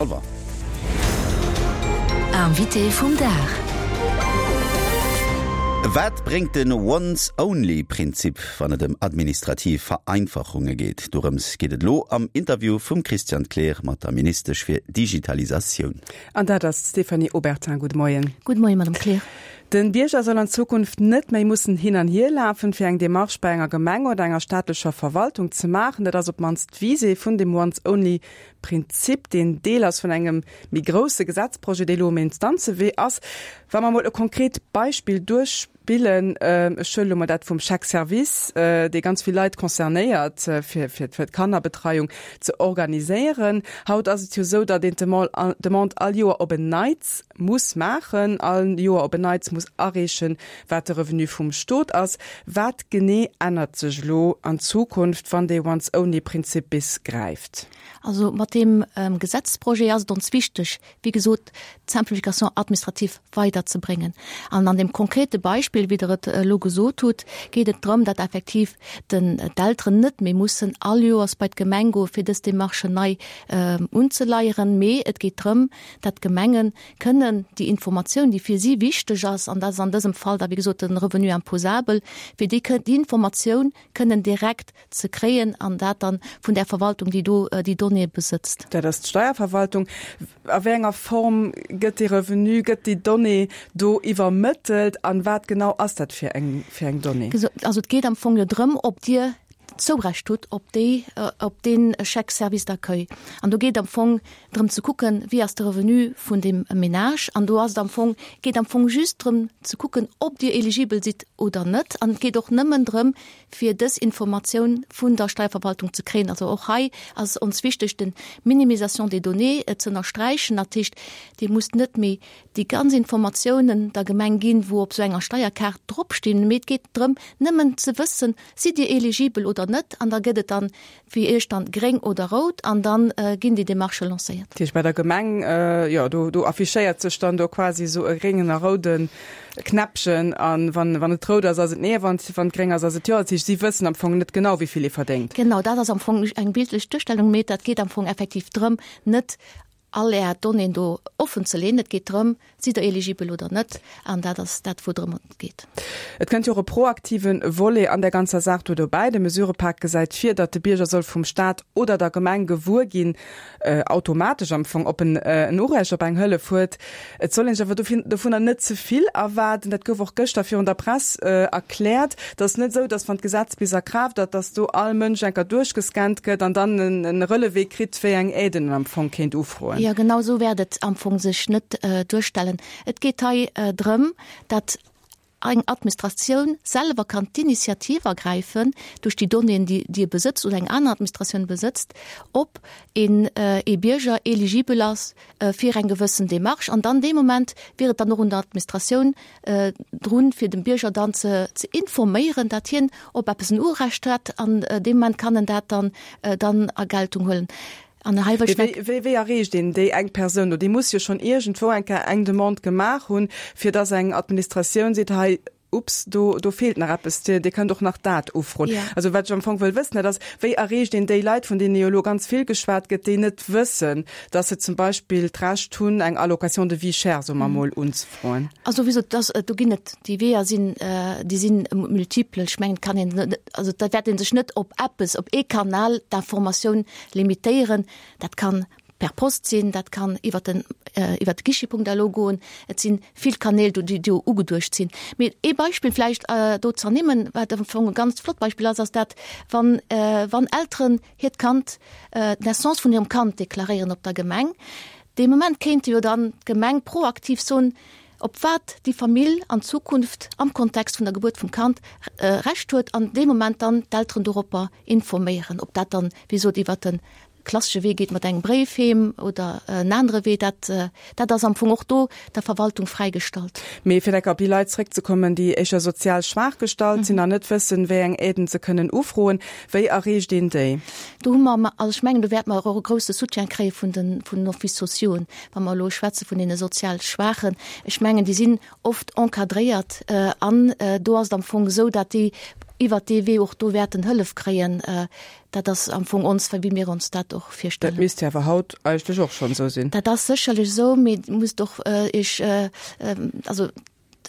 Revoir. Invité vum Dag. Wat bréngt den Once-Only-Prinzip, wann et ëm administrativ Vereinfachunge geet? Dorëms geet et elo am Interview vum Christian Kleer mat der Ministesch fir Digitalisatioun. An dat ass d'Stéphanie Obertin. Gudde Moien. Gudde Moien, Madame Kleer. Den Bierger soll an Zukunft net méi mussen hin an hier lafen, fir eng Demarche bei enger Gemeng oder enger staatlecher Verwaltung ze maachen. Dat ass op d'mannst d'Visée vun dem Once-Only Prinzip, deen Deel ass vun engem méi grousse Gesetzprojet, dee elo um Instanzewee ass. Wa mer emol e konkret Beispill duerchspillen, ech huelen elo mol dat vum Chèque service, dee ganz vill Leit concernéiert, fir d'Kannerbetreiung ze organiséieren. Haut ass et jo esou, datt een d'Demande all Joer op en Neits muss maachen, all Joer op en Neits muss areechen, wat de Revenu vum Stot ass. Wat genee ännert sech elo an Zukunft, wann dee Once-Only-Prinzip bis gräift? Also mat deem Gesetzprojet ass et ons wichteg, wéi gesot, d'Simplification administrative weiderzebréngen. An an deem konkrete Beispill, wéi Der et elo gesot hutt, geet et drëm, datt effektiv den d'Elteren net méi mussen all Joers bei d'Gemeng goe fir dës Démarchen nei unzeleieren, mee et geet drëm, datt d'Gemenge kënnen déi Informatioun, déi fir si wichteg ass, an dat ass an dësem Fall da wéi gesot de Revenu imposable, fir déi déi Informatioun kënnen direkt ze kréien an dat dann vun där Verwaltung, déi do déi Donnéeë besëtzt. Dat ass d'Steierverwaltung. A wéi enger Form gëtt dee Revenu, gëtt déi Donnée do iwwermëttelt an wat genau ass dat fir eng, fir eng Donnée? Also et geet am Fong jo drëm, ob Dir Zourecht hutt op déi, op dee Chèque service d'accueil. An do geet am Fong drëm ze kucken, wéi ass de Revenu vun deem Ménage. An do ass et am Fong, geet am Fong just drëm ze kucken, ob Dir eligibel sidd oder net. An et geet och nëmmen drëm, fir dës Informatioun vun der Steierverwaltung ze kréien. Also och hei ass ons wichteg, den Minimisation des données ze ënnersträichen. Dat heescht, Dir musst net méi déi ganz Informatiounen der Gemeng ginn, wou op esou enger Steierkaart dropstinn, mee et geet drëm, nëmmen ze wëssen, Sidd Dir eligibel oder net? An da gëtt et dann fir Iech dann gréng oder rout an dann ginn déi Demarchë lancéiert. Dat heescht bei der Gemeng, jo, do, do affichéiert sech dann do quasi esou e gréngen a roude Knäppchen a wann, wann et rout ass, ass et nee, a wann, wann et gréng ass, ass et jo. Dat heescht, si wëssen am Fong net genau, wéi vill ee verdéngt. Genau, dat ass am Fong eng bildlech Duerstellung, mee dat geet am Fong effektiv drëm, net all Är Donnéeën do offen ze leeën. Et geet drëm, Sidd Der eligibel oder net? An dat ass dat, woudrëm et geet. Et kënnt jo och e proaktive Volet an där ganzer Saach do dobäi. De Mesurepak gesäit vir, datt de Bierger soll vum Staat oder der Gemeng gewuer ginn, automatesch am Fong, ob en en Urecht op eng Hëllef huet. Et soll een sech awer dovunner net ze vill erwaarden. Dat gouf och gëschter virun der Press erkläert. Et ass net esou, datt wann d'Gesetz bis a Kraaft ass, datt do all Mënsch enker duerchgescannt gëtt an dann en Relevé kritt, wéi eng Aiden en am Fong kéint ufroen. Jo, genau esou wäert et am Fong sech net duerstellen. Et geet hei drëm, datt eng Administratioun selwer kann d'Initiativ ergräifen, duerch déi Donnéeën, déi déi e besëtzt oder eng aner Administratioun besëtzt, ob een ee Bierger eligibel ass fir eng gewëssen Démarche. An dann dee Moment wier et dann och un der Administratioun drun, fir dem Bierger dann ze ze informéieren, datt hien op eppes en Urecht hätt an dee Moment kann en dat dann dann a Geltung huelen. An hei wëll ech Wéi, wéi, wéi erreecht een déi eng Persoun do? Déi muss jo schonn iergendwou eng Kéier eng Demande gemaach hunn, fir datt eng Administratioun seet, hei, ups, do, do feelt nach eppes, Dir, Dir kënnt och nach dat ufroen. Ja. Also wat ech am Fong wëll wëssen, dat ass, wéi erreecht een déi Leit, vun deene jo elo ganz vill geschwat gëtt, déi net wëssen, datt se zum Beispill d'Recht hunn, eng Allocation de vie chère, soe mer emol, unzefroen? Also wéi gesot, dass, do ginn et, déi Weeër sinn, déi sinn multiple. Ech mengen, et kann een net, also da wäert ee sech net op eppes, op ee Kanal d'informatioun limitéieren. Dat kann per Post sinn, dat kann iwwer den, iwwer de Guichet.lu goen. Et si vill Kanäl do, déi do ugeduecht sinn. Mee ee Beispill vläicht do z'ernimmen, wat am Fong e ganz flott Beispill ass, ass dat, wann, wann Elteren hiert Kand, d'Naissance vun hirem Kand deklaréieren op der Gemeng, dee Moment kéinte jo dann d'Gemeng proaktiv soen, op wat déi Famill an Zukunft am Kontext vun der Gebuert vum Kand Recht huet an dee Moment dann d'Elteren doropper informéieren. Ob dat dann, wéi gesot, iwwert de klassesche Wee geet mat engem Bréif heem oder en anere Wee, dat, dat ass am Fong och do der Verwaltung fräigestallt. Mee fir enker op déi Leit zréckzekommen, déi éischer sozial schwaach gestallt sinn an net wëssen, wéi eng Aiden se kënnen ufroen, Wéi erreecht een déi? Do hu mer, also ech mengen, do wäerte mer och e grouse Soutien kréie vun den, vun den Offices sociauxen, wa mer elo schwätze vun deene sozial Schwaachen. Ech mengen, déi sinn oft encadréiert an do ass et am Fong esou, datt déi. iwwert dee Wee och do wäerten Hëllef kréien. Dat ass am Fong ons, wéi mir ons dat och virstellen. Dat misst jo awer haut eigentlech och schonn esou sinn. Dat ass sécherlech esou, mee musst och Iech, also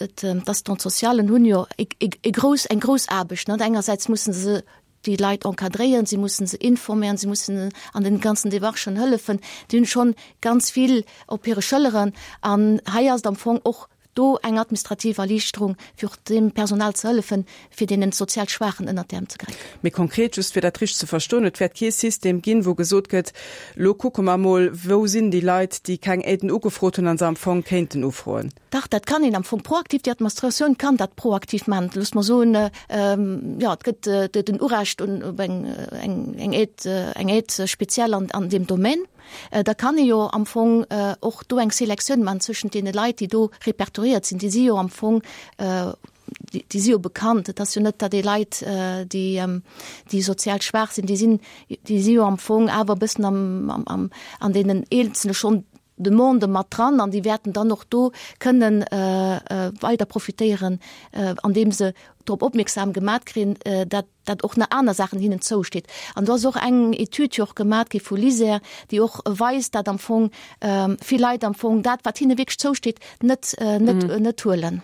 d'Assistante-socialen hunn jo e grouss, eng grouss Aarbecht, net? Engersäits mussen se déi Leit encadréieren, si mussen se informéieren, si mussen an den ganzen Demarchen hëllefen. Déi hunn schonn ganz vill op hire Schëlleren an hei ass et am Fong och do eng administrativ Erliichterung, fir och deem Personal ze hëllefen, fir deenen sozial Schwaachen ënnert d'Äerm ze gräifen. Méi konkret, just fir dat richteg ze verstoen, Et wäert kee System ginn, wou gesot gëtt, Lo kucke mer emol, wou sinn déi Leit, déi keng Aiden ugefrot hunn a se am Fong kéinten ufroen. Dach, dat kann een am Fong proaktiv, déi Administratioun kann dat proaktiv maachen. Loosst mer soen, jo, et gëtt den Urecht op eng Aide, eng Aide spéciale an deem Domaine. Da kann ee jo am Fong och do eng Selektioun maachen zwëschent deene Leit, déi do repertoriéiert sinn. Déi si jo am Fong, déi si jo bekannt. Et ass jo net, datt ee Leit, déi, déi sozial schwaach sinn, déi sinn, déi si jo am Fong awer e bëssen am, an deenen eenzele schonn Demandë mat dran an déi wäerten dann och do kënnen weider profitéieren, andeem se drop opmierksam gemat kréien, dat dat och nach aner Saachen hinnen zousteet. An do ass och eng Etüd jo och gemat gi vu LISER, déi och weist, dat am Fong vill Leit am Fong dat, wat hinne wierklech zousteet, net net net huelen.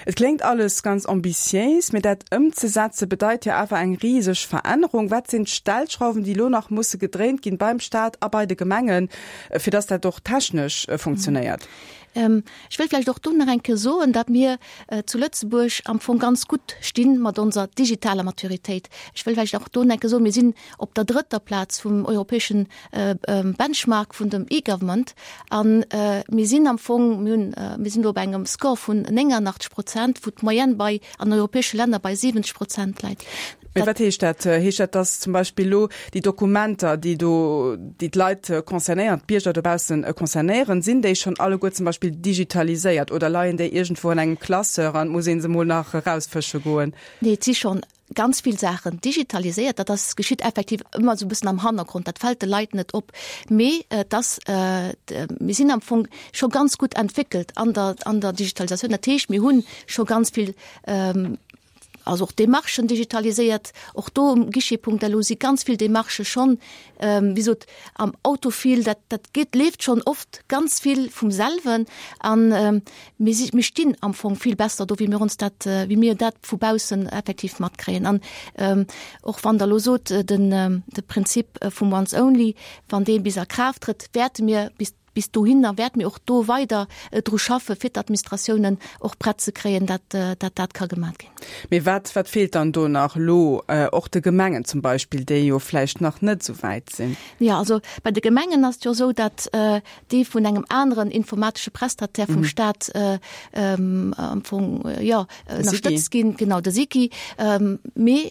Et kléngt alles ganz ambitiéis, mee dat ëmzesetze bedeit jo awer eng riseg Verännerung. Wat sinn d'Stellschrauwen, déi elo nach musse gedréint ginn beim Staat a bei de Gemengen, fir dass dat och technesch funktionéiert? Ech wëll vläicht och do nach eng Kéier soen, datt mir zu Lëtzebuerg am Fong ganz gutt sti mat onser digitaler Maturitéit. Ech wëll vläicht och do nach eng Kéier soen, mir sinn op der drëtter Plaz vum europäeschen Benchmark vun dem E-Government a mir sinn am Fong, mir hunn, mir sinn do op engem Score vun 89 Prozent, wou d'Moyenne bei an europäesche Länner bei 70 Prozent läit. Mee wat heescht dat? Heescht dat, dass zum Beispill elo déi Dokumenter, déi do, déi d'Leit concernéieren, d'Bierger dobaussen concernéieren, sinn déi schonn alleguer zum Beispill digitaliséiert oder leien déi iergendwou an engem Classeur an et muss ee se mol nach erausfësche goen? Nee, et si schonn ganz vill Saachen digitaliséiert. Dat ass, geschitt effektiv ëmmer esou e bëssen am Hannergrond, dat fält de Leit net op. Mee et ass, mir sinn am Fong scho ganz gutt entwéckelt an der, an der Digitalisatioun. Dat heescht, mir hu scho ganz vill, also och Demarchen digitaliséiert. Och do um Guichet.lu si ganz vill Demarchë schonn, wéi sot, am Autofil, dat, dat geet, leeft schonn oft ganz vill vum selwen. An Mir si, mir stinn am Fong vill besser do, wéi mir ons dat, wéi mir dat vu baussen effektiv matkréien. An och wann Der elo sot, den, de Prinzip vum Once Only, wann dee bis a Kraaft trëtt, wäerte mir bis, bis dohinner wäerte mir och do weider dru schaffe fir d'Administratiounen och prett ze kréien, dat, dat dat ka gemat ginn. Mee wat, wat feelt dann do nach elo och de Gemengen zum Beispill, déi jo vläicht nach net esou wäit sinn? Jo, also bei de Gemengen ass et jo esou, datt déi vun engem aneren informatesche Prestataire vum Staat am Fong jo ënnerstëtzt ginn, genau de SICI. Mee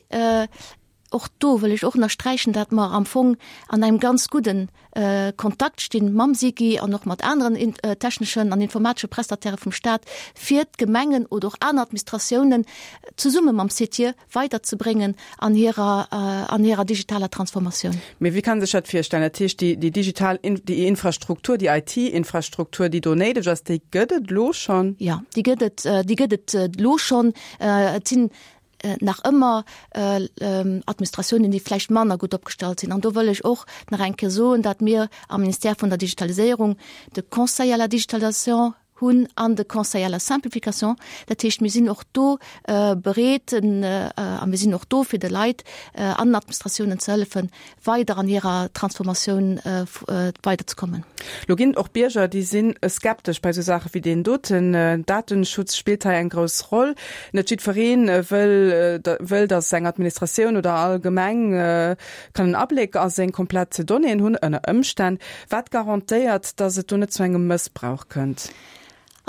och do wëll ech och ënnersträichen, datt mer am Fong an engem ganz gudden Kontakt stinn mam SICI an och mat aneren techneschen an informatesche Prestatairë vum Staat, fir d'Gemengen oder och aner Administratiounen zesumme mam CETIE weiderzebréngen an hirer, an hirer digitaler Transformatioun. Mee wéi kann ee sech dat virstellen? Dat heescht, déi, déi digital, déi Infrastruktur, déi IT-Infrastruktur, déi do néideg ass, déi gëtt et elo schonn? Jo, déi gëtt et, déi gëtt et elo schonn. Et sinn nach ëmmer Administratiounen, déi vläicht manner gutt opgestallt sinn. An do wëll ech och nach eng Kéier soen, datt mir am Ministère vun der Digitaliséierung de Conseil à la digitalisation hunn an de Conseil à la simplification. Dat heescht, mir sinn och do bereet a mir sinn och do, fir de Leit an den Administratiounen ze hëllefen, weider an hirer Transformatioun weiderzekommen. Lo ginn et och Bierger, déi si skeptesch bei esou Saache wéi deen doten. Datenschutz spillt hei eng grouss Roll. Net jiddweree wëll, wëll, datt eng Administratioun oder allgemeng kann en Abléck a seng komplett Donnéeën hunn, ënner Ëmstänn. Wat garantéiert, datt et do net zu engem Mëssbrauch kënnt?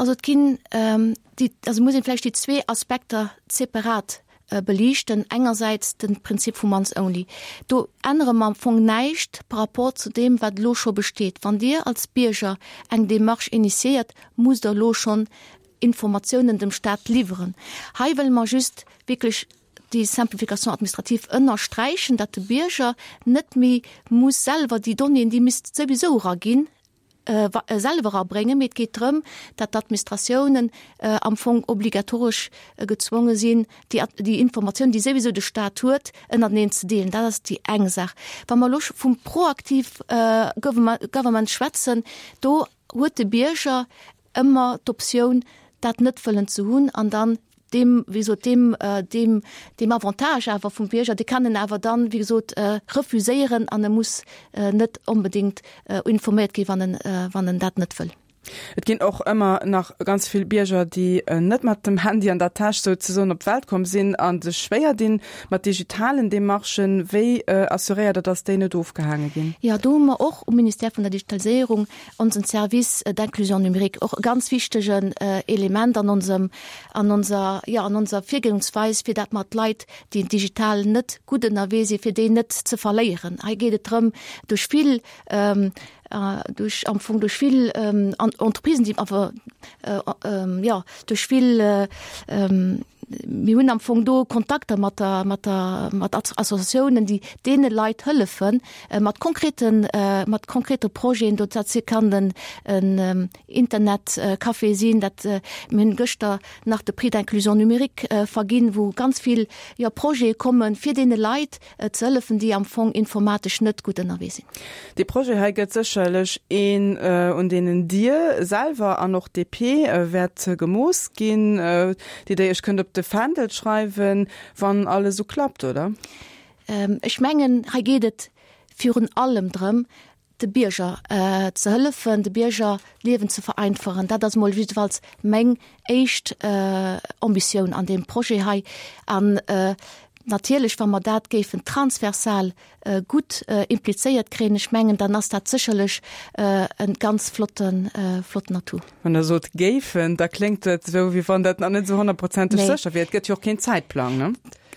Also et ginn déi, also muss een vläicht déi zwee Aspekter separat beliichten. Engersäits de Prinzip vum Once Only. Do ännere mer am Fong näischt par rapport zu deem, wat elo scho besteet. Wann Dir als Bierger eng Démarche initiéiert, musst Der elo schonn Informatiounen dem Stat liwweren. Hei wëlle mer just wierklech déi Simplification administrative ënnersträichen, datt de Bierger net méi muss selwer déi Donnéeën, déi misst souwisou eraginn. selwer erabréngen, mee et geet drëm, datt d'Administratiounen am Fong obligatoresch gezwonge sinn, déi, déi Informatioun, déi souwisou de Stat huet, ënnerteneen ze deelen. Dat ass déi eng Saach. Wa mer elo vum proaktiv Government schwätzen, do huet de Bierger ëmmer d'Optioun, dat net wëllen ze hunn an dann deem, wéi gesot, deem, deem, deem Avantage awer vum Bierger, dee kann en awer dann, wéi gesot, refuséieren an e muss net onbedéngt informéiert ginn, wann en, wann en dat net wëll. Et ginn och ëmmer nach ganz vill Bierger, déi net mat dem Handy an der Täsch souzesoen op d'Welt komm sinn a sech schwéier dinn mat digitalen Demarchen. Wéi assuréiert Der, dass déi net ofgehaange ginn? Jo, do hu mer och um Ministère vun der Digitaliséierung onsen Service d'inclusion numérique, och e ganz wichtegen Element an onsem, an onser, jo, an onser Virgoungsweis, fir dat mer d'Leit, déi digital net gutt ënnerwee sinn, fir déi net ze verléieren. Hei geet et drëm, duerch vill, duerch am Fong duerch vill Entreprisen, déi awer, jo, duerch vill, mir hunn am Fong do Kontakter mat der, mat der, mat Associatiounen, déi deene Leit hëllefen, mat konkreten, mat konkrete Projeten. Do dat kann den en Internetcafé sinn, dat mir hunn gëschter nach de Prix d'inclusion numérique verginn, wou ganz vill, jo, Projete kommen, fir deene Leit ze hëllefen, déi am Fong informatesch net gutt ënnerwee sinn. Dee Projet hei gëtt sécherlech een, un deenen Dir selwer an och d'DP wäert gemooss ginn, déi Der Iech kënnt op de Fändel schreiwen, wann alles esou klappt, oder? Ech mengen, hei geet et virun allem drëm, de Bierger ze hëllefen, de Bierger d'Liewen ze vereinfachen. Dat ass emol jiddefalls meng éischt Ambitioun an deem Projet hei. An natierlech, wa mer dat géifen transversal gutt implizéiert kréien, ech mengen, dann ass dat sécherlech e ganz flotten, flotten Atout. Wann Der sot géifen, da kléngt et esou, wéi wann dat nach net esou honnertprozenteg sécher wier. Et gëtt jo och keen Zäitplang, ne?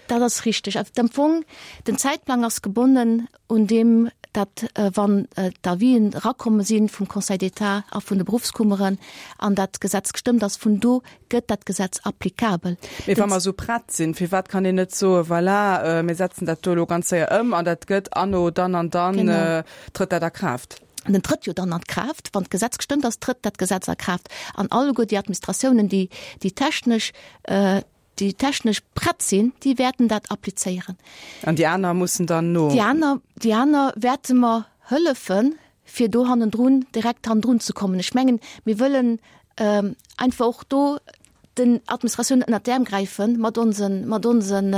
Dat ass richteg. Am Fong, den Zäitplang ass gebonnen un deem, datt wann d'Avisen erakomme si vum Conseil d'État a vun de Beruffskummeren an dat Gesetz gestëmmt ass, vun do gëtt dat Gesetz applicabel. Mee wa mer esou prett sinn, firwat kann een net soen, voilà, mir setzen dat do elo ganz séier ëm an dat gëtt anno dann an dann trëtt dat a Kraaft? An en trëtt jo dann an d'Kraaft, wann d'Gesetz gestëmmt ass, trëtt dat Gesetz a Kraaft. An alleguer déi Administratiounen, déi déi technesch, déi technesch prett sinn, déi wäerten dat applizéieren. An déi aner mussen dann no. Déi aner, déi aner wäerte mer hëllefen, fir do hannendrun, direkt hannendrun ze kommen. Ech mengen, mir wëllen einfach och do den Administratiounen ënnert d'Äerm gräife mat onsen, mat onsen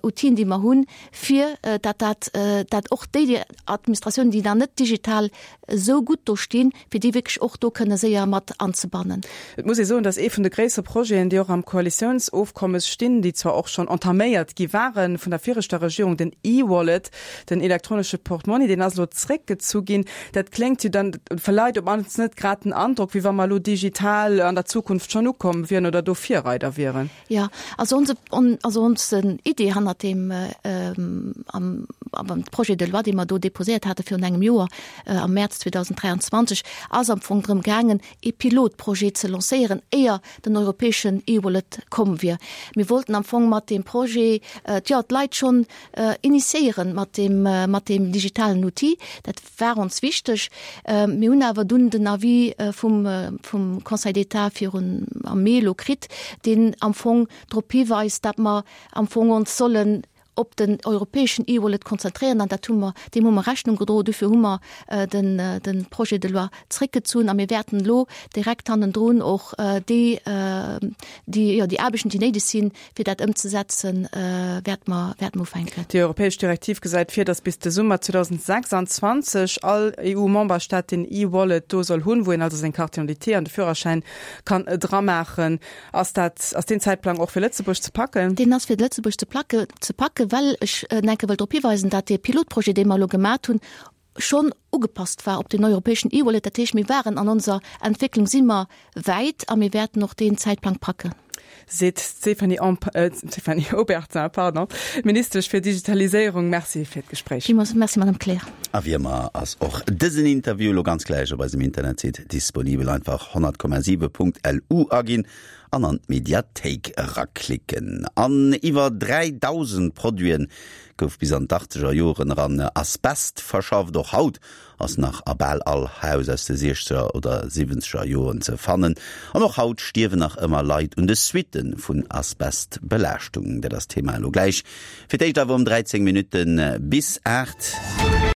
Outile, déi mer hunn, fir dat dat, dat och déi Administratiounen, déi nach net digital esou gutt do stinn, fir déi wierklech och do kënne séier mat anzebannen. Et muss ee soen, dass ee vun de gréissere Projeten, déi och am Koalitiounsofkommes stinn, déi zwar och schonn entaméiert gi ware vun der viregter Regierung, den E-Wallet, den elektronesche Portmonni, deen ass elo zréckgezu ginn. Dat kléngt jo dann, verleiht op mannst net grad den Androck, wéi wa mer elo digital an der Zukunft schonn ukomm wieren oder do Virreider wieren. Jo, also onse, also onse Idee hannert deem am, am Projet de loi, dee mer do déposéiert hate virun engem Joer, am Mäerz 2023, ass am Fong drëm gaangen, ee Pilotprojet ze lancéieren, éier den europäeschen E-Wallet komm wier. Mir wollten am Fong mat deem Projet, jo, d'Leit schonn initiéieren mat deem, mat deem digitalen Outil. Dat war ons wichteg. Mir hunn awer dunn den Avis vum, vum Conseil d'État virun, am Mee elo kritt, deen am Fong drop hiweist, datt mer am Fong ons sollen op den europäeschen E-Wallet konzentréieren. An dat hu mer, deem hu mer Rechnung gedroen. Dofir hu mer den, de Projet de loi zréckgezunn a mir wäerten elo direkt hannendrun och déi, déi, jo, déi Aarbechten, déi néideg sinn, Fir dat ëmzesetzen, wäerte mer, wäerte mer ufänken. Déi europäesch Direktiv gesäit vir, datt bis de Summer 2026 all EU-Memberstaat den E-Wallet do soll hunn, wou een also seng Carte d'identité an de Führerschäin kann dramaachen. Ass dat, ass deen Zäitplang och fir Lëtzebuerg ze packen? Deen ass fir Lëtzebuerg ze placke, ze packen, well ech enke wëll drop hiweisen, dat dee Pilotprojet, dee mer elo gemat hunn, schonn ugepasst war op den europäeschen E-Wallet. Dat heescht, mir waren an onser Entwécklung si mer wäit a mir wäerten och deen Zäitplang packen. Seet d'Stéphanie Stéphanie Obertin, pardon, Ministesch fir Digitaliséierung. Merci fir d'Gespréich. Villmools Merci, Madame Kleer. A wéi ëmmer ass och dësen Interview elo ganz gläich op eisem Internetsite disponibel. Einfach 100,7.lu aginn an an d'Mediathéik eraklicken. An iwwer 3.000 Produiten gouf bis an d'Achtzeger Joren eran Asbest verschafft. Och haut. Ass nach a bal all Haus aus de siechzeger oder siwwenzeger Joren ze fannen. An och haut stierwen nach ëmmer Leit un de Suitte vun Asbestbelaaschtung. Dat ass d'Thema elo gläich. Fir d'éischt awer um 13 Minutte bis 8.